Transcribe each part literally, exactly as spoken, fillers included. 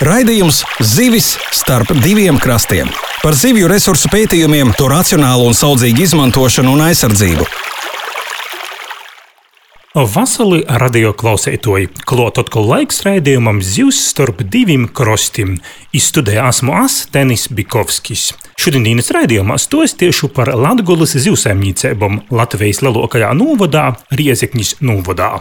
Raidījums Zivis starp diviem krastiem. Par zivju resursu pētījumiem, to racionālu un saudzīgu izmantošanu un aizsardzību. Vasarī radio klausētoji, klāt atkal laiks raidījumam Zivs starp diviem krastiem. Izstudēja esmu es, Denis Bikovskis. Šodienas raidījumā stostiešu par Latgoles zivsaimniecībām Latvijas lielākajā novadā, Riezeknis novadā.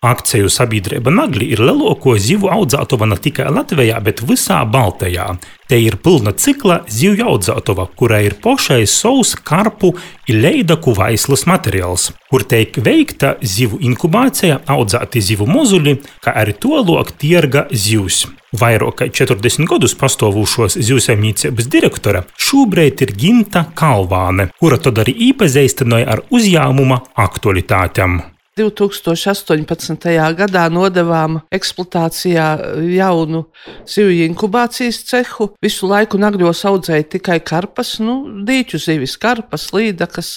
Akciju sabiedrība Nagli ir lielāko zivu audzētava ne tikai Latvijā, bet visā Baltijā. Te ir pilna cikla zivju audzētava, kurā ir pašai savs karpu un leidaku vaislas materiāls, kur tiek veikta zivu inkubācija, audzēti zivu mozuļi, kā arī tolok tirga zivs. Vairāk kā četrdesmit gadus pastāvošos zivsaimniecības direktora šobrīd ir Ginta Kalvāne, kura tad arī iepazīstināja ar uzņēmuma aktualitātēm. divi tūkstoši astoņpadsmitajā gadā nodevām eksploatācijā jaunu zivju inkubācijas cehu. Visu laiku Nagļos audzēja tikai karpas, nu, dīķu zivis, karpas, līdakas,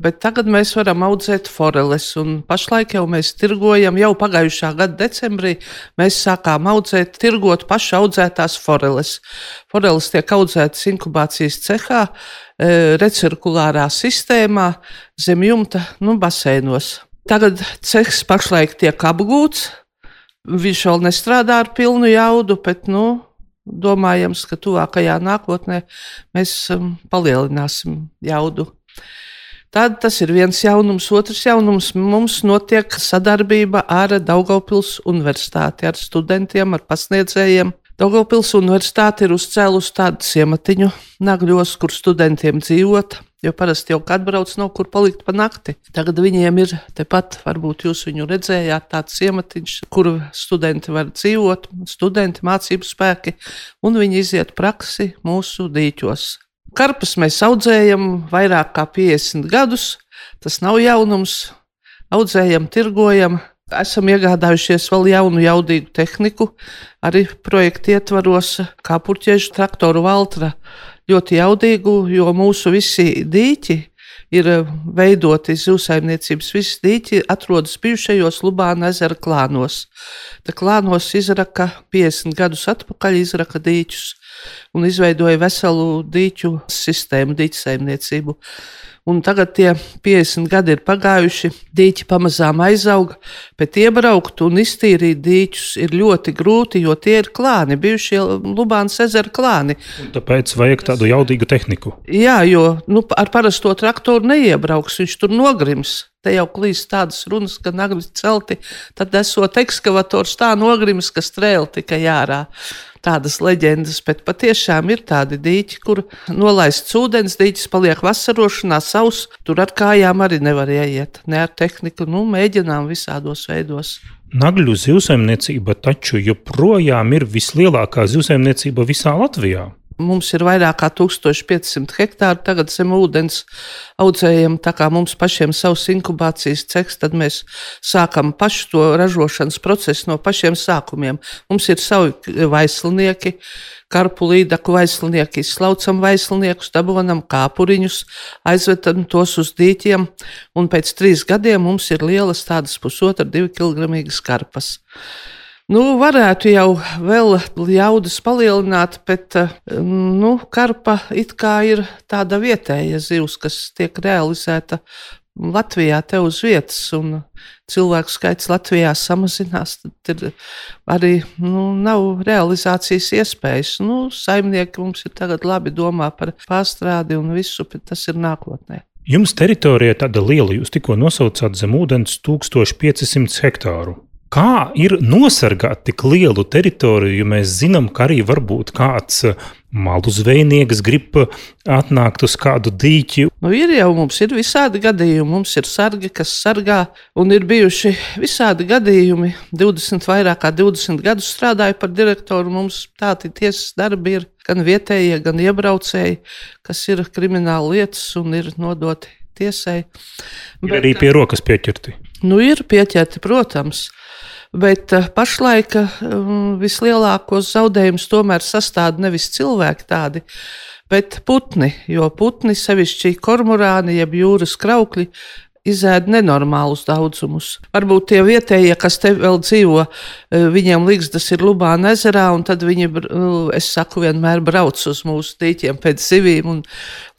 bet tagad mēs varam audzēt foreles, un pašlaik jau mēs tirgojam, jau pagājušā gada decembrī mēs sākām audzēt, tirgot paši audzētās foreles. Foreles tiek audzētas inkubācijas cehā, recirkulārā sistēmā, zem jumta, nu, baseinos. Tagad cehs pašlaik tiek apgūts, viņš vēl nestrādā ar pilnu jaudu, bet, nu, domājams, ka tuvākajā nākotnē mēs um, palielināsim jaudu. Tad tas ir viens jaunums. Otrs jaunums mums notiek sadarbība ar Daugavpils universitāti, ar studentiem, ar pasniedzējiem. Daugavpils universitāte ir uzcēlusi tādu ciematiņu Nagļos, kur studentiem dzīvot, jo parasti jau kad brauc nav kur palikt pa nakti. Tagad viņiem ir tepat, varbūt jūs viņu redzējāt, tāds ciematiņš, kur studenti var dzīvot, studenti, mācību spēki, un viņi iziet praksi mūsu dīķos. Karpas mēs audzējam vairāk kā piecdesmit gadus, tas nav jaunums, audzējam, tirgojam. Esam iegādājušies vēl jaunu jaudīgu tehniku, arī projekta ietvaros, kā purķiežu traktoru Valtra, ļoti jaudīgu, jo mūsu visi dīķi ir veidoti zivsaimniecības, visi dīķi atrodas bijušajos Lubāna ezera klānos. Tā klānos izraka piecdesmit gadus atpakaļ, izraka dīķus un izveidoja veselu dīķu sistēmu, dīķu saimniecību. Un tagad tie piecdesmit gadi ir pagājuši, dīķi pamazām aizauga, bet iebraukt un iztīrīt dīķus ir ļoti grūti, jo tie ir klāni, bijušie Lubānas ezera klāni. Un tāpēc vajag tādu jaudīgu tehniku. Jā, jo nu, ar parasto traktoru neiebrauks, viņš tur nogrims. Te jau klīst tādas runas, ka Nagļi celti, tad esot ekskavators tā nogrims, ka strēli tikai ārā. Tādas leģendas, bet patiešām ir tādi dīķi, kur nolaists ūdens, dīķis paliek vasarošanā savs, tur ar kājām arī nevar ieiet, ne ar tehniku, nu, mēģinām visādos veidos. Nagļu zivsaimniecība taču joprojām ir vislielākā zivsaimniecība visā Latvijā. Mums ir vairāk kā tūkstoš piecsimt hektāru, tagad zem ūdens audzējam, tā kā mums pašiem savs inkubācijas cehs, tad mēs sākam pašu to ražošanas procesu no pašiem sākumiem. Mums ir savi vaislinieki, karpu līdaku vaislinieki, izslaucam vaisliniekus, dabonam kāpuriņus, aizvedam tos uz dīķiem, un pēc trīs gadiem mums ir lielas tādas pusotra divi kilogramīgas karpas. Nu, varētu jau vēl jaudas palielināt, bet nu, karpa it kā ir tāda vietēja zivs, kas tiek realizēta Latvijā te uz vietas, un cilvēku skaits Latvijā samazinās, tad ir arī nu, nav realizācijas iespējas. Nu, saimnieki mums ir tagad labi domā par pārstrādi un visu, bet tas ir nākotnē. Jums teritorija tāda liela, jūs tikko nosaucāt zem ūdens tūkstoš piecsimt hektāru. Kā ir nosargāt tik lielu teritoriju, jo mēs zinām, ka arī varbūt kāds malu zvejnieks grib atnākt uz kādu dīķi? Nu, ir jau, mums ir visādi gadījumi, mums ir sargi, kas sargā, un ir bijuši visādi gadījumi. divdesmit, vairāk kā divdesmit gadus strādāju par direktoru, mums tādi tiesas darbi ir gan vietējie, gan iebraucēji, kas ir krimināla lietas un ir nodoti tiesai. Ir arī pie rokas pieķerti? Nu, ir pieķerti, protams. Bet pašlaik um, vislielākos zaudējumus tomēr sastāv nevis cilvēki tādi, bet putni, jo putni, sevišķi kormorāni, jeb jūras kraukļi, izēd nenormālus daudzumus. Varbūt tie vietējie, kas te vēl dzīvo, viņiem ligzdas ir Lubāna ezerā, un tad viņi, es saku, vienmēr brauc uz mūsu dīķiem pēc zivīm un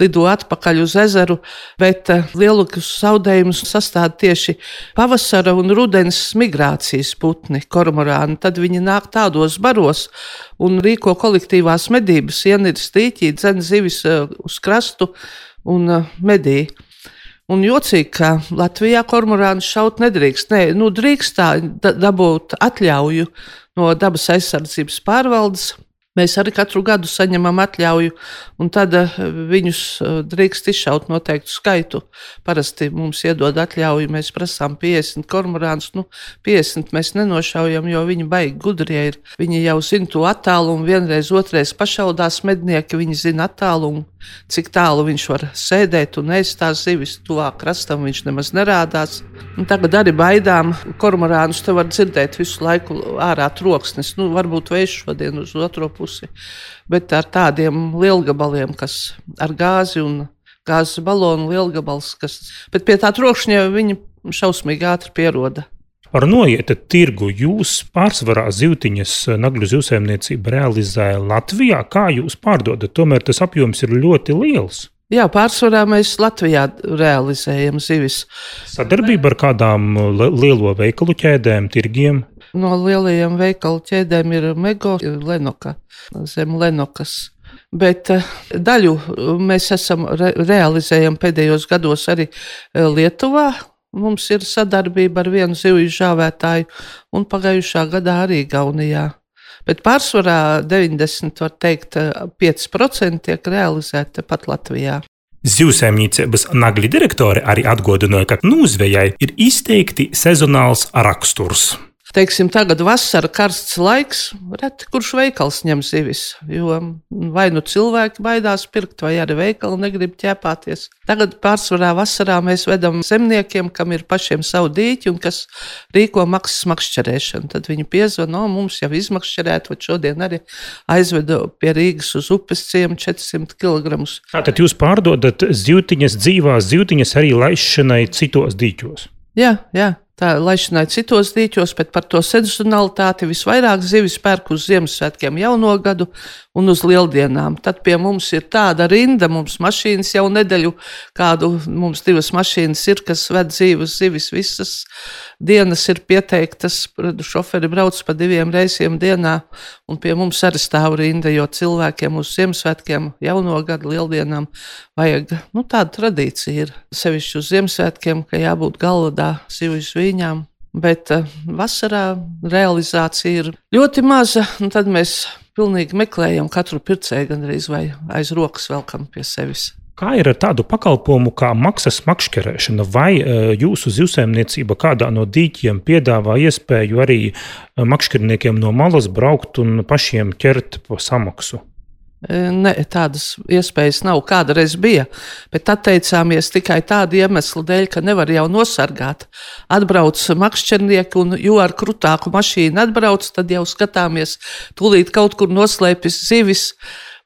lido atpakaļ uz ezeru, bet lielākus zaudējumus sastāv tieši pavasara un rudens migrācijas putni, kormorāni. Tad viņi nāk tādos baros un rīko kolektīvās medības, ieniras dīķī, dzen zivis uz krastu un medī. Un jocīgi, ka Latvijā kormorānus šaut nedrīkst. Nē, nu drīkst tā dabūt atļauju no dabas aizsardzības pārvaldes. Mēs arī katru gadu saņemam atļauju, un tad viņus drīkst izšaut noteiktu skaitu. Parasti mums iedod atļauju, mēs prasām piecdesmit kormorānus. Nu, piecdesmit mēs nenošaujam, jo viņi baigi gudrie ir. Viņi jau zina to attālumu, vienreiz, otrais pašaudās mednieki, viņi zina attālumu, cik tālu viņš var sēdēt un ēst tās zivis. Tuvāk krastam viņš nemaz nerādās. Un tagad arī baidām kormorānus, te var dzirdēt visu laiku ārā troksnis. Nu, varbūt vējš šodien uz otro pusi, bet ar tādiem lielgabaliem, kas ar gāzi un gāzes balonu lielgabals, kas, bet pie tā trokšņa viņi šausmīgi ātri pieroda. Ar noieta tirgu jūs pārsvarā zivtiņas nagļu zivsaimniecību realizē Latvijā. Kā jūs pārdodat? Tomēr tas apjoms ir ļoti liels. Jā, pārsvarā mēs Latvijā realizējam zivis. Sadarbība ar kādām lielo veikalu ķēdēm, tirgiem? No lielajiem veikalu ķēdēm ir Mego, ir Lenoka, zem Lenokas. Bet daļu mēs esam re- realizējam pēdējos gados arī Lietuvā. Mums ir sadarbība ar vienu zivju žāvētāju un pagājušā gadā arī Gaunijā. Bet pārsvarā deviņdesmit, var teikt, pieci procenti tiek realizēta pat Latvijā. Zivsaimniecības nagļu direktori arī atgādināja, ka nūzvejai ir izteikti sezonāls raksturs. Teiksim, tagad vasara karsts laiks, reti kurš veikals ņem zivis, jo vai nu cilvēki baidās pirkt, vai arī veikali negrib ķēpāties. Tagad pārsvarā vasarā mēs vedam zemniekiem, kam ir pašiem savu dīķi un kas rīko maksas makšķerēšanu. Tad viņi piezvan, no mums jau izmakšķerēt, vai šodien arī aizvedu pie Rīgas uz upes ciemu četrsimt kilogramus. Tātad jūs pārdodat zivtiņas, dzīvās zivtiņas arī laišanai citos dīķos? Jā, jā. Tā laišanai citos dīķos, bet par to sezonalitāti visvairāk zivis pērk uz Ziemassvētkiem jauno gadu un uz lieldienām. Tad pie mums ir tāda rinda, mums mašīnas jau nedēļu, kādu mums divas mašīnas ir, kas ved dzīves zivis. Visas dienas ir pieteiktas, šoferi brauc pa diviem reisiem dienā, un pie mums arī stāv rinda, jo cilvēkiem uz Ziemassvētkiem jauno gadu lieldienām vajag, nu tāda tradīcija ir. Sevišķi uz Ziemassvētkiem, ka jābūt galvadā zivju viņām, bet uh, vasarā realizācija ir ļoti maza, un tad mēs pilnīgi meklējam katru pircēju gandrīz vai aiz rokas velkam pie sevis. Kā ir ar tādu pakalpojumu kā maksas makšķerēšana? Vai uh, jūsu zivsaimniecība kādā no dīķiem piedāvā iespēju arī uh, makšķerniekiem no malas braukt un pašiem ķert po samaksu? Ne, tādas iespējas nav, kādreiz bija, bet atteicāmies tikai tādu iemeslu dēļ, ka nevar jau nosargāt. Atbrauc makšķernieki, un jo ar krutāku mašīnu atbrauc, tad jau skatāmies, tūlīt kaut kur noslēpjas zivis,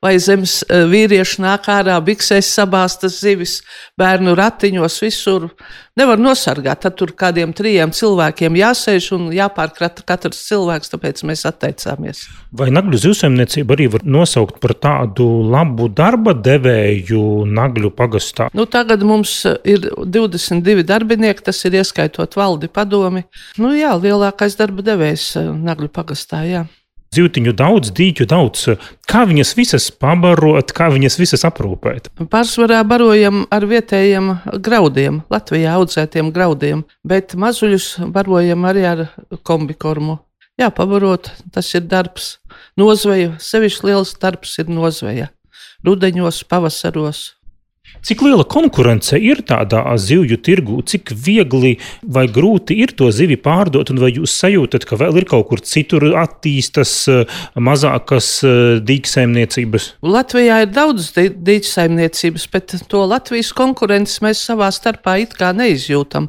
vai zemes vīrieši nāk ārā, biksēs sabāstas zivis, bērnu ratiņos, visur. Nevar nosargāt, tad tur kādiem trījiem cilvēkiem jāsēž un jāpārkrata katrs cilvēks, tāpēc mēs atteicāmies. Vai nagļu zivsaimniecība arī var nosaukt par tādu labu darba devēju Nagļu pagastā? Nu, tagad mums ir divdesmit divi darbinieki, tas ir ieskaitot valdi padomi. Nu jā, lielākais darba devējs Nagļu pagastā, jā. Zivtiņu daudz, dīķu daudz. Kā viņas visas pabarot, kā viņas visas aprūpēt? Pārsvarā barojam ar vietējiem graudiem, Latvijā audzētiem graudiem, bet mazuļus barojam arī ar kombikormu. Jā, pabarot, tas ir darbs. Nozveja, sevišķi liels darbs ir nozveja. Rudeņos, pavasaros. Cik liela konkurence ir tādā zivju tirgū? Cik viegli vai grūti ir to zivi pārdot? Un vai jūs sajūtat, ka vēl ir kaut kur citur attīstas mazākas dīķsaimniecības? Latvijā ir daudz dīķsaimniecības, bet to Latvijas konkurences mēs savā starpā it kā neizjūtam.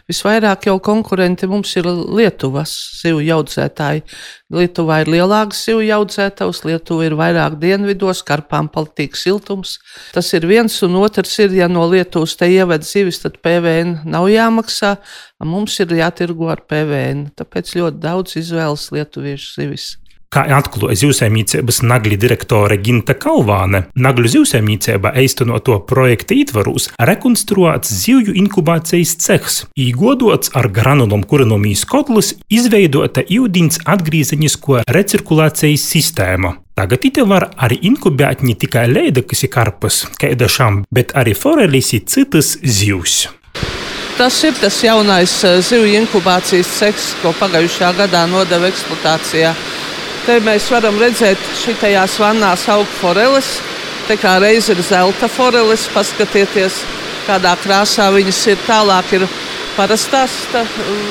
Visvairāk jau konkurenti mums ir Lietuvas zivju audzētāji. Lietuvā ir lielāks zivju audzētājs, Lietuva ir vairāk dienvidos, karpām patīk siltums. Tas ir viens un otrs. otrs ir, ja no Lietuvas te ieved zivis, tad P V N nav jāmaksā, mums ir jātirgo ar P V N. Tāpēc ļoti daudz izvēlas lietuviešu zivis. Kā atklāja zivsaimniecības Nagļu direktore Ginta Kalvāne, Nagļu zivsaimniecībā īstenoto projekta ietvaros rekonstruēts zivju inkubācijas cehs, īgodots ar granulom kurinomijas kotlus, izveidota ūdens atgriezeņisko recirkulācijas sistēma. Tagad ite var arī inkubēt ne tikai leidakas i karpas, kaidašām, bet arī forelis i citas zivs. Tas ir tas jaunais zivju inkubācijas cehs, ko pagājušajā gadā nodeva eksploatācijā. Te mēs varam redzēt, šitajās vannās aug foreles, te kā reiz ir zelta foreles, paskatieties, kādā krāsā viņas ir. Tālāk ir parastās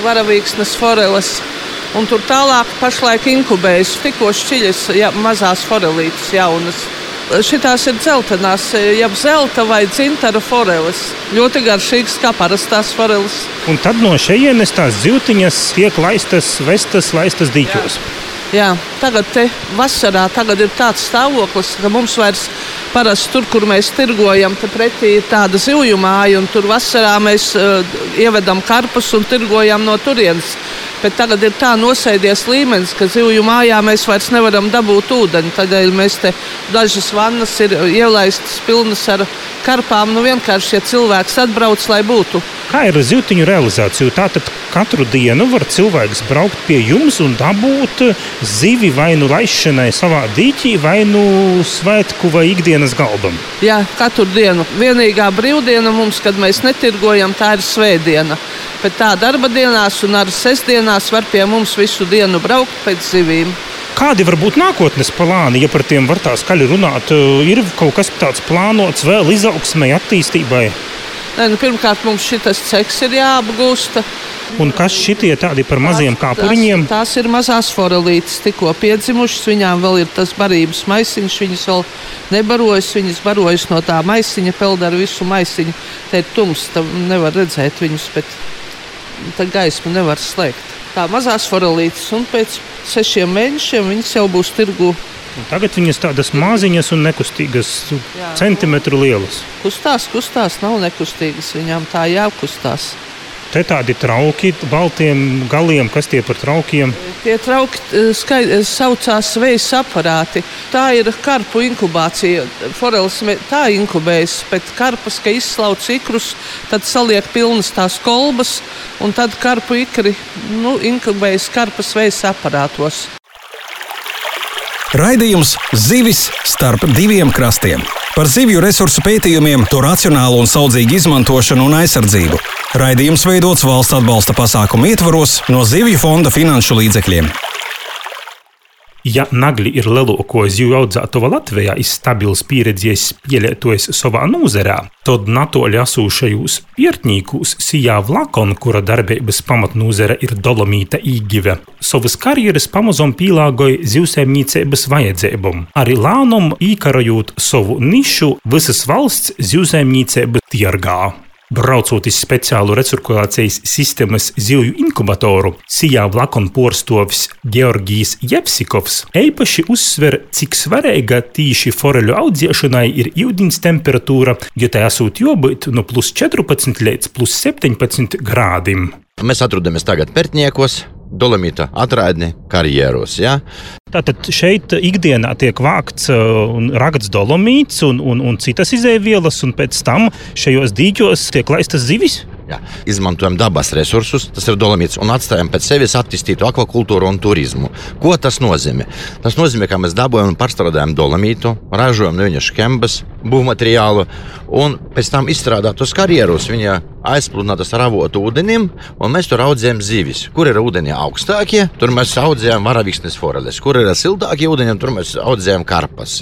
varavīksnes foreles, un tur tālāk pašlaik inkubējas tikko šķiļas ja, mazās forelītes jaunas. Šitās ir dzeltenās, jeb zelta vai dzintara foreles, ļoti garšīgas kā parastās foreles. Un tad no šejienes tās zivtiņas tiek laistas, vestas, laistas dīķos. Jā. Jā, tagad te vasarā tagad ir tāds stāvoklis, ka mums vairs parasti tur, kur mēs tirgojam, te pretī ir tāda zivju māja, un tur vasarā mēs uh, ievedam karpus un tirgojam no turienes. Bet tagad ir tā nosēdies līmenis, ka zivju mājā mēs vairs nevaram dabūt ūdeni. Tādēļ mēs te dažas vannas ir ielaistas pilnas ar karpām. Nu vienkārši, ja cilvēks atbrauc, lai būtu. Kā ir zivtiņu realizācija? Tātad katru dienu var cilvēks braukt pie jums un dabūt zivi vai nu laišanai savā dīķī, vai nu svētku vai ikdienas galdam? Jā, katru dienu. Vienīgā brīvdiena mums, kad mēs netirgojam, tā ir svētdiena. Bet tā darba dienās un arī sestdienās var pie mums visu dienu braukt pēc zivīm. Kādi var būt nākotnes plāni, ja par tiem var tā skaļi runāt? Ir kaut kas tāds plānots vēl izaugsmai, attīstībai? Nē, nu, pirmkārt, mums šitas cehs ir jāapgūsta. Un kas šitie tādi par maziem kāpuriņiem? Tās, tās ir mazās forelītes, tikko piedzimušas. Viņām vēl ir tas barības maisiņš, viņas vēl nebarojas. Viņas barojas no tā maisiņa, peld ar visu maisiņu. Te ir tums, nevar redzēt viņus, bet tā gaismu nevar slēgt. Tā mazās forelītes, un pēc sešiem mēnešiem viņas jau būs tirgu. Un tagad viņas tādas maziņas un nekustīgas, jā, centimetru lielas. Kustās, kustās, nav nekustīgas, viņām tā jākustās. Te tādi trauki, baltiem galiem, kas tie par traukiem? Tie trauki skai, saucās vejas aparāti. Tā ir karpu inkubācija. Foreles tā inkubējas, bet karpas, ka izslauc ikrus, tad saliek pilnas tās kolbas, un tad karpu ikri nu, inkubējas karpas vejas aparātos. Raidījums Zivis starp diviem krastiem. Par zivju resursu pētījumiem, to racionālu un saudzīgu izmantošanu un aizsardzību. Raidījums veidots valsts atbalsta pasākumu ietvaros no Zivju fonda finanšu līdzekļiem. Ja Nagļi ir lielāko zivju audzētava Latvijā, ir stabils pieredzējis pielietojis savā nozarē, tad natoļi esūšajos piertnīkūs sijā Vlakon, kura darbības pamatnozare ir dolomīta īgive, savas karjeras pamazom pīlāgoja zivsaimniecības vajadzībām, arī lānum īkarojot savu nišu visas valsts zivsaimniecības tirgā. Braucot iz speciālu recirkulācijas sistēmas zivju inkubatoru, sijā Vlakon porstovs Georgijs Jevsikovs eipaši uzsver, cik svarīga tīši foreļu audzēšanai ir ūdens temperatūra, jo tā esot jābūt no plus četrpadsmit līdz plus septiņpadsmit grādiem. Mēs atrodamies tagad Pertniekos, Dolomīta atraidni karjeros. Ja? Tātad šeit ikdienā tiek vākts un ragats dolomīts un, un, un citas izēvielas, un pēc tam šajos dīķos tiek laistas zivis? Jā. Izmantojam dabas resursus, tas ir dolomīts, un atstājam pēc sevis attīstītu akvakultūru un turismu. Ko tas nozīmē? Tas nozīmē, ka mēs dabojam un pārstrādājam dolomītu, ražojam no viņa škembas, būvmateriālu, un pēc tam izstrādātos karjerus viņa aizpludinātas ar avotu ūdenim, un mēs tur audzējam zivis. Kur ir ūdeni augstākie, tur mēs audzējam varavīksnes foreles. Kur ir siltākie ūdeņi, tur mēs audzējam karpas.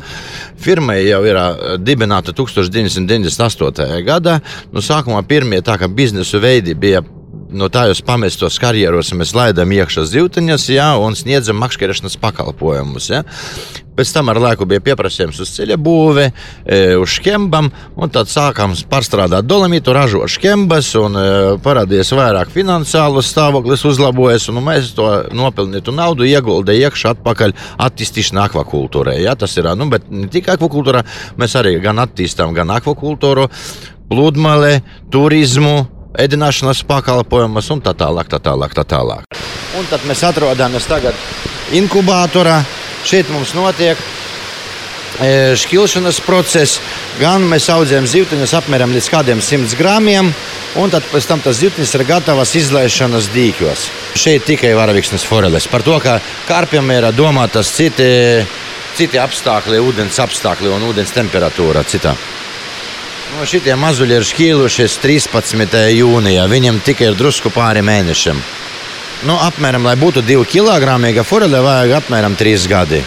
Firma jau ir dibināta tūkstoš deviņsimt deviņdesmit astotajā gadā. No sākumā pirmie tā, ka biznesu veidi bija no tājos pamestos karjeros, mēs laidām iekšā zivtiņas, ja, un sniedzam makšķerešanas pakalpojumus. Ja. Pēc tam ar laiku bija pieprasījums uz ceļa būvi, uz škembam, un tad sākām pārstrādāt dolomītu, ražot škembas, un parādījās vairāk finansiālus stāvoklis uzlabojas, un mēs to nopelnītu naudu ieguldīju iekšā atpakaļ attīstīšanā akvakultūrai. Ja, tas ir, nu, bet ne tikai akvakultūrā, mēs arī gan attīstām gan akvakultūru, pludmali, turismu, ēdināšanas pakalpojumus un tā tālāk, tā tālāk, tā tālāk. Un tad mēs atrodamies tagad inkubātorā. Šeit mums notiek šķilšanas process, gan mēs audzējam zivtiņus apmēram līdz kādiem simts gramiem, un tad pēc tam tas zivtiņas ir gatavas izlaišanas dīķos. Šeit tikai varaviksnes foreles. Par to, ka karpiem ir domātas citi, citi apstākļi, ūdens apstākļi un ūdens temperatūra citā. No šitie mazuļi ir šķīlušies trīspadsmitajā jūnijā, viņiem tikai ir drusku pāri mēnešiem. Nu, apmēram, lai būtu divi kilogramīga forele, vajag apmēram trīs gadi.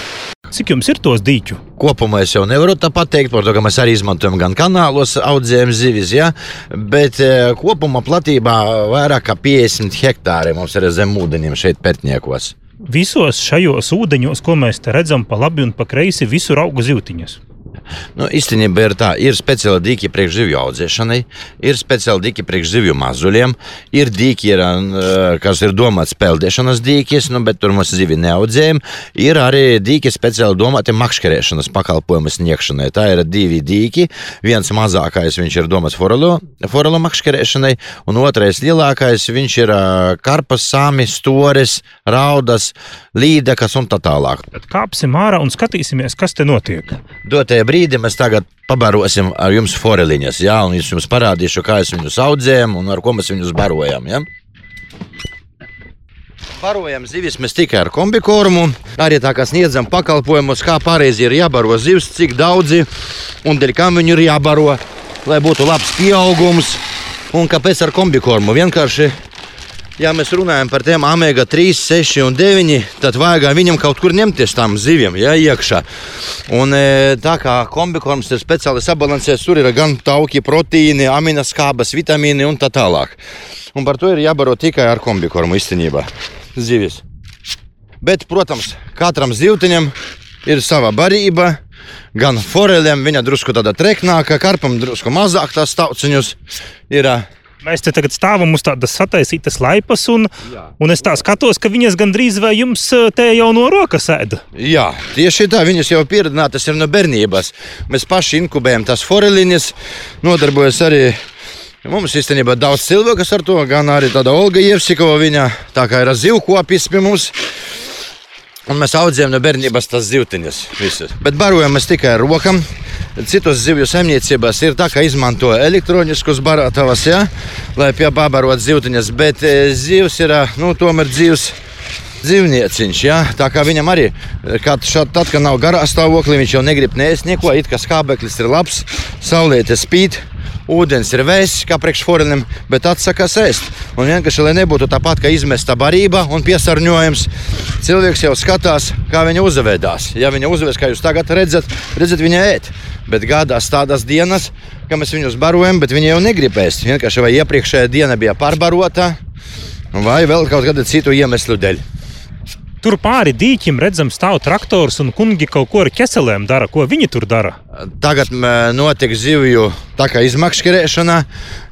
Cik jums ir tos dīķu? Kopumā es jau nevaru tā pateikt, par to, ka mēs arī izmantojam gan kanālos, audzējam zivis, ja? Bet kopumā platībā vairāk kā piecdesmit hektāri mums ir zem ūdeņiem šeit Pērtniekos. Visos šajos ūdeņos, ko mēs te redzam pa labi un pa kreisi, visur auga zivtiņas. Nu, īstenībā ir tā, ir speciāli dīķi priekš zivju audzēšanai, ir speciāli dīķi priekš zivju mazuļiem, ir dīķi, ir, kas ir domāts peldēšanas dīķis, nu, bet tur mēs zivi neaudzējam, ir arī dīķi speciāli domāti makškerēšanas pakalpojumu sniegšanai. Tā ir divi dīķi, viens mazākais viņš ir domāts forelu, forelu makškerēšanai, un otrais lielākais viņš ir karpas, sami, stores, raudas, līdekas un tā tālāk. Tad kāpsim ārā un skatīsimies, kas te notiek. Dotajā brīdī mēs tagad pabarosim ar jums foreliņas, ja? Un es jums parādīšu, kā es viņus audzējam un ar ko mēs viņus barojam. Ja? Barojam zivis mēs tikai ar kombikorumu, arī tā kā sniedzam pakalpojumus, kā pareizi ir jābaro zivs, cik daudzi un dēļ kam viņu ir jābaro, lai būtu labs pieaugums. Un kāpēc ar kombikorumu? Vienkārši, ja mēs runājam par tiem omega trīs, seši un deviņi, tad vajag viņam kaut kur ņemties tām ziviem, ja, iekšā. Un tā kā kombikorms ir speciāli sabalansēts, tur ir gan tauki, proteīni, aminoskābes, vitamīni un tā tālāk. Un par to ir jābaro tikai ar kombikormu īstenībā zivis. Bet, protams, katram zivtiņam ir sava barība, gan forelēm viņa drusku tāda treknāka, karpam drusku mazāk tās tauciņus ir. Mēs te tagad stāvam uz tādas sataisītas laipas, un, un es tā skatos, ka viņas gandrīz vai jums te jau no rokas ēda. Jā, tieši tā, viņas jau pieredzinātas ir no bērnības. Mēs paši inkubējam tās foreliņas, nodarbojas arī mums īstenībā daudz cilvēkas ar to, gan arī tāda Olga Jevsikova, viņa tā kā ir zivkopis pie mums. Un mēs audzējam no bērnības tās zivtiņas visas. Bet barojam mēs tikai ar rokam. Citos zivju saimniecībās ir tā, ka izmanto elektroniskus barātavas, ja, lai piebarot zivtiņas, bet zivs ir, nu, tomēr dzīvs dzīvnieciņš, ja. Tā kā viņam arī, kad šad, tad, kad nav garā stāvoklī, viņš jau negrib neēst neko, it kā skābeklis ir labs, saulēte spīd, ūdens ir vēss, kā priekš forelim, bet atsakās ēst. Un vienkārši, lai nebūtu tāpat, ka izmesta barība un piesārņojums, cilvēks jau skatās, kā viņa uzvedās. Ja viņa uzvedas, kā jūs tagad redzat, redzat viņa ēt. Bet gādās tādas dienas, ka mēs viņus barojam, bet viņi jau negrib ēst. Vienkārši vai iepriekšējā diena bija pārbarota, vai vēl kaut kāda citu iemeslu dēļ. Tur pāri dīķim redzam stāv traktors un kungi kaut ko ar ķeselēm dara. Ko viņi tur dara? Tagad notiek zivju tā kā izmakškerēšana,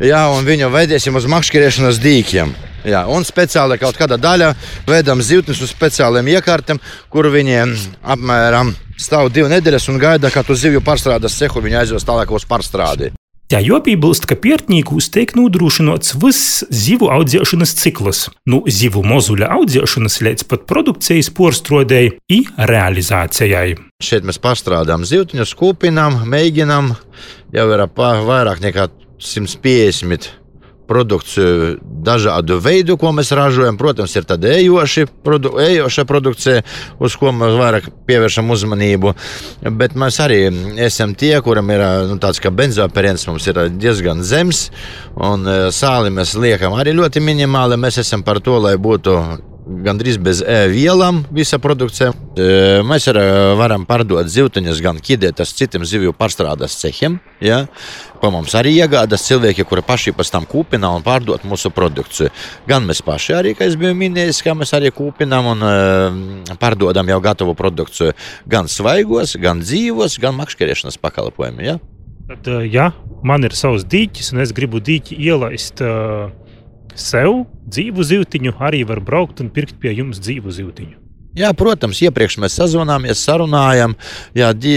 jā, un viņu veidēsim uz makškerēšanas dīķiem. Jā, un speciāli kaut kāda daļa veidam zivtnes uz speciāliem iekārtiem, kur viņi apmēram stāv divu nedēļas un gaida, kad uz zivju pārstrādes cehu viņi aizvest tālāk uz pārstrādi. Jā, jāpiebilst, ka Pērtnīkūs tiek nodrošināts viss zivu audzēšanas cikls, no zivu mozuļa audzēšanas līdz pat produkcijas porstrādei i realizācijai. Šeit mēs pārstrādājam zivtiņus, kūpinām, mēģinām, jau ir vairāk nekā simt piecdesmit produkciju dažādu veidu, ko mēs ražojam. Protams, ir tāda ejoša produ, produkcija, uz ko mēs vairāk pievēršam uzmanību. Bet mēs arī esam tie, kuram ir nu, tāds kā benzoperens, mums ir diezgan zems, un sāli mēs liekam arī ļoti minimāli. Mēs esam par to, lai būtu gandrīz bez vielām visa produkcija. Mēs arī varam pārdot zivtiņas gan ķidētas citiem zivju pārstrādes cehiem. Ja? Pa mums arī iegādas cilvēki, kuri paši pēc tam kūpina un pārdot mūsu produkciju. Gan mēs paši arī, kā es biju minējis, kā mēs arī kūpinām un pārdodam jau gatavu produkciju. Gan svaigos, gan dzīvos, gan makškerēšanas pakalpojumi. Ja? Tad, ja man ir savs dīķis un es gribu dīķi ielaist uh, sev dzīvu zivtiņu, arī var braukt un pirkt pie jums dzīvu zivtiņu. Jā, protams, iepriekš mēs sazvanāmies, sarunājam, ja dī,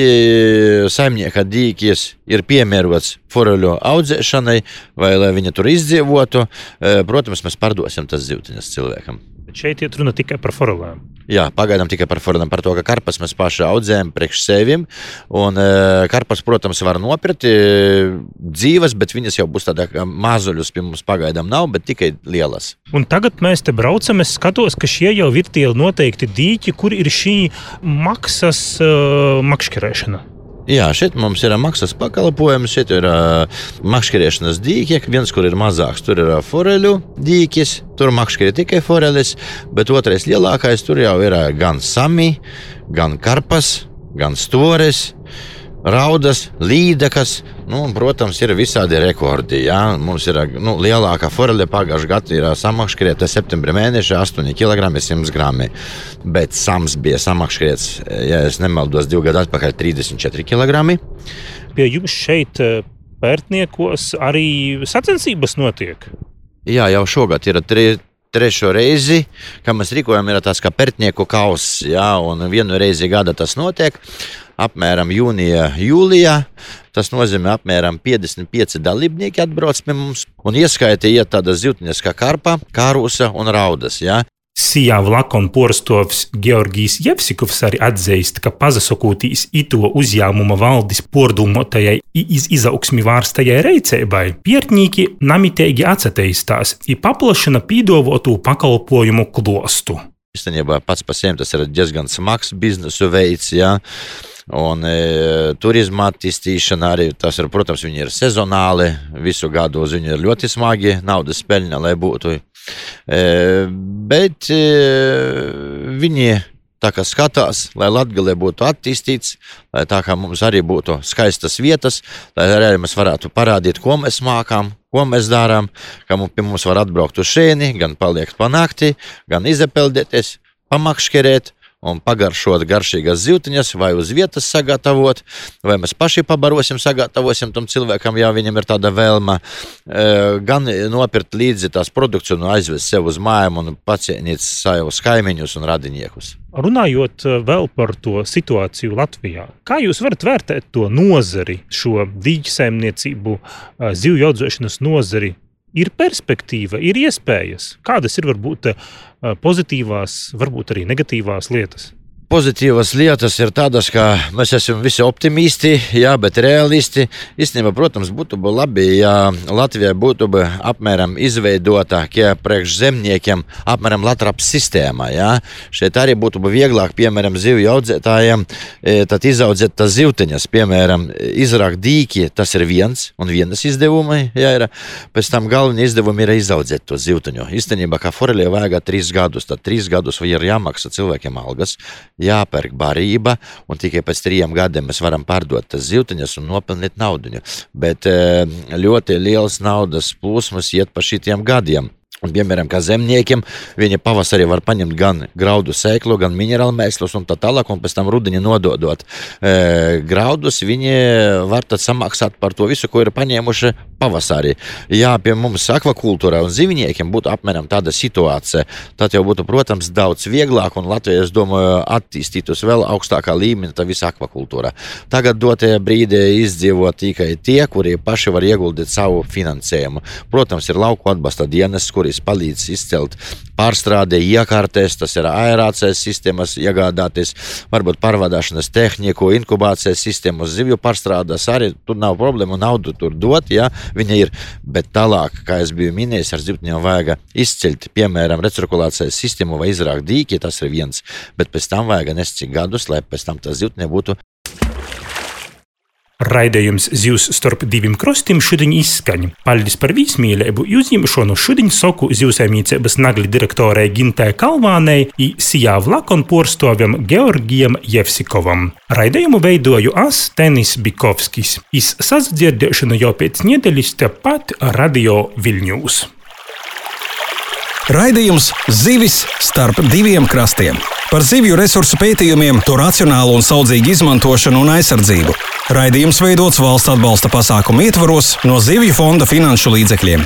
saimnieka dīkis ir piemērots foreļu audzēšanai, vai lai viņa tur izdzīvotu, protams, mēs pārdosim tas zivtiņas cilvēkam. Bet šeit iet runa tikai par forelēm. Jā, pagaidām tikai par forelēm, par to, ka karpas mēs paši audzējam priekš sevim, un karpas, protams, var nopirkt dzīves, bet viņas jau būs tādā, ka mazuļus pie mums pagaidām nav, bet tikai lielas. Un tagad mēs te braucam, es skatos, ka šie jau ir tie noteikti dīķi, kur ir šī maksas uh, makškerēšana. Jā, šeit mums ir maksas pakalpojums, šeit ir uh, makškerēšanas dīķi, viens, kur ir mazāks, tur ir foreļu dīķis, tur makškerē tikai forelis, bet otrais lielākais, tur jau ir gan sami, gan karpas, gan stores, raudas, līdekas, nu, un, protams, ir visādi rekordi. Ja? Mums ir nu, lielākā forele pagājušajā gadā ir samakškerēta septembra mēneša astoņi kilogrami simts grami, bet sams bija samakškerēts, ja es nemaldos, divu gadu atpakaļ trīsdesmit četri kilogrami. Pie jums šeit pērtniekos arī sacensības notiek? Jā, jau šogad ir tri, trešo reizi, kā mēs rīkojam, ir tās kā pērtnieku kauss, ja? Un vienu reizi gada tas notiek. Apmēram jūnijā, jūlijā. Tas nozīmē apmēram piecdesmit pieci dalībnieki atbrauc pie mums. Un ieskaitī iet tādas zivtiņas kā karpa, kārusa un raudas. Ja? Sijā Vlakon porstovs Georgijs Jevsikovs arī atzīst, ka pazasokūtīs ito uzņēmuma valdes pordulmotajai iz izaugsmi vārstajai reiceibai, piertnīki namitēgi atsateistās i paplašina pīdovotu pakalpojumu klostu. Īstenībā pats par sevi tas ir diezgan smags biznesu veids, ja? Un e, turisma attīstīšana arī, tas ir, protams, viņi ir sezonāli, visu gadu uz viņu ir ļoti smagi, naudas peļņa, lai būtu. E, bet e, viņi tā kā skatās, lai Latgalē būtu attīstīts, lai tā kā mums arī būtu skaistas vietas, lai arī mēs varētu parādīt, ko mēs mākām, ko mēs darām, ka mums, pie mums var atbraukt uz šeini, gan paliekt pa nakti, gan izapeldēties, pamakškerēt, un pagaršot garšīgas zivtiņas, vai uz vietas sagatavot, vai mēs paši pabarosim, sagatavosim tam cilvēkam, ja viņam ir tāda vēlma, gan nopirkt līdzi tās produkciju un aizvest sev uz mājām un pacienīt savus kaimiņus un radiniekus. Runājot vēl par to situāciju Latvijā, kā jūs varat vērtēt to nozari, šo dīķsaimniecību, zivju audzēšanas nozari? Ir perspektīva, ir iespējas. Kādas ir varbūt pozitīvās, varbūt arī negatīvās lietas? Pozitīvas lietas ir tādas, ka mēs esam visi optimisti, jā, bet realisti. Īstenībā, protams, būtu labi, ja Latvijā būtu apmēram izveidota, kā priekš zemniekiem, apmēram Latraps sistēma. Jā. Šeit arī būtu vieglāk, piemēram, zivju audzētājiem, tad izaudzēt tas zivtiņas, piemēram, izrakt dīki, tas ir viens un vienas izdevumi, jā, ir. Pēc tam galvenie izdevumi ir izaudzēt to zivtiņu. Īstenībā, kā forelē vajag trīs gadus, tad trīs gadus ir jāmaksā cilvēkiem algas, jāpērk barība, un tikai pēc trījiem gadiem mēs varam pārdot tas zivtiņas un nopelnīt naudiņu. Bet ļoti liels naudas plūsmas iet pa šitiem gadiem. Un, piemēram, kā zemniekiem, viņi pavasarī var paņemt gan graudu sēklu, gan minerālu mēslus un tā tālāk, un pēc tam rudenī nododot e, graudus, viņi var tad samaksāt par to visu, ko ir paņēmuši pavasarī. Jā, pie mums akvakultūrā un zivniekiem būtu apmēram tāda situācija, tad jau būtu, protams, daudz vieglāk, un Latvija, es domāju, attīstītos vēl augstākā līmenī tā visa akvakultūra. Tagad dotajā brīdī izdzīvo tikai tie, kuri paši var ieguldīt savu finansējumu. Protams, ir lauku atbalsta dienas, kuri palīdz izcelt pārstrādē, iekārtēs, tas ir aerācijas sistēmas iegādāties, varbūt pārvadāšanas tehniku, inkubācijas sistēmas, zivju pārstrādes, arī tur nav problēma, naudu tur dot, ja viņa ir, bet tālāk, kā es biju minējis, ar zivtiņām vajag izceļt, piemēram, recirkulācijas sistēmu vai izrākt dīki, tas ir viens, bet pēc tam vajag nes cik gadus, lai pēc tam tā zivtiņa būtu Raidījums Zivs starp diviem krostim šodien izskaņ. Paldies par vīsmīlību, uzņemšanu šodien soku zivsaimniecības nagli direktorei Gintai Kalvānei i Sijā Vlakon porstovim Georgijam Jevsikovam. Raidījumu veidoju as Tenis Bikovskis. Iz sazdzirdēšanu jau pēc nedēļas tepat Radio Viļņūs. Raidījums Zivis starp diviem krastiem. Par zivju resursu pētījumiem, to racionālu un saudzīgu izmantošanu un aizsardzību. Raidījums veidots valsts atbalsta pasākumu ietvaros no Zivju fonda finanšu līdzekļiem.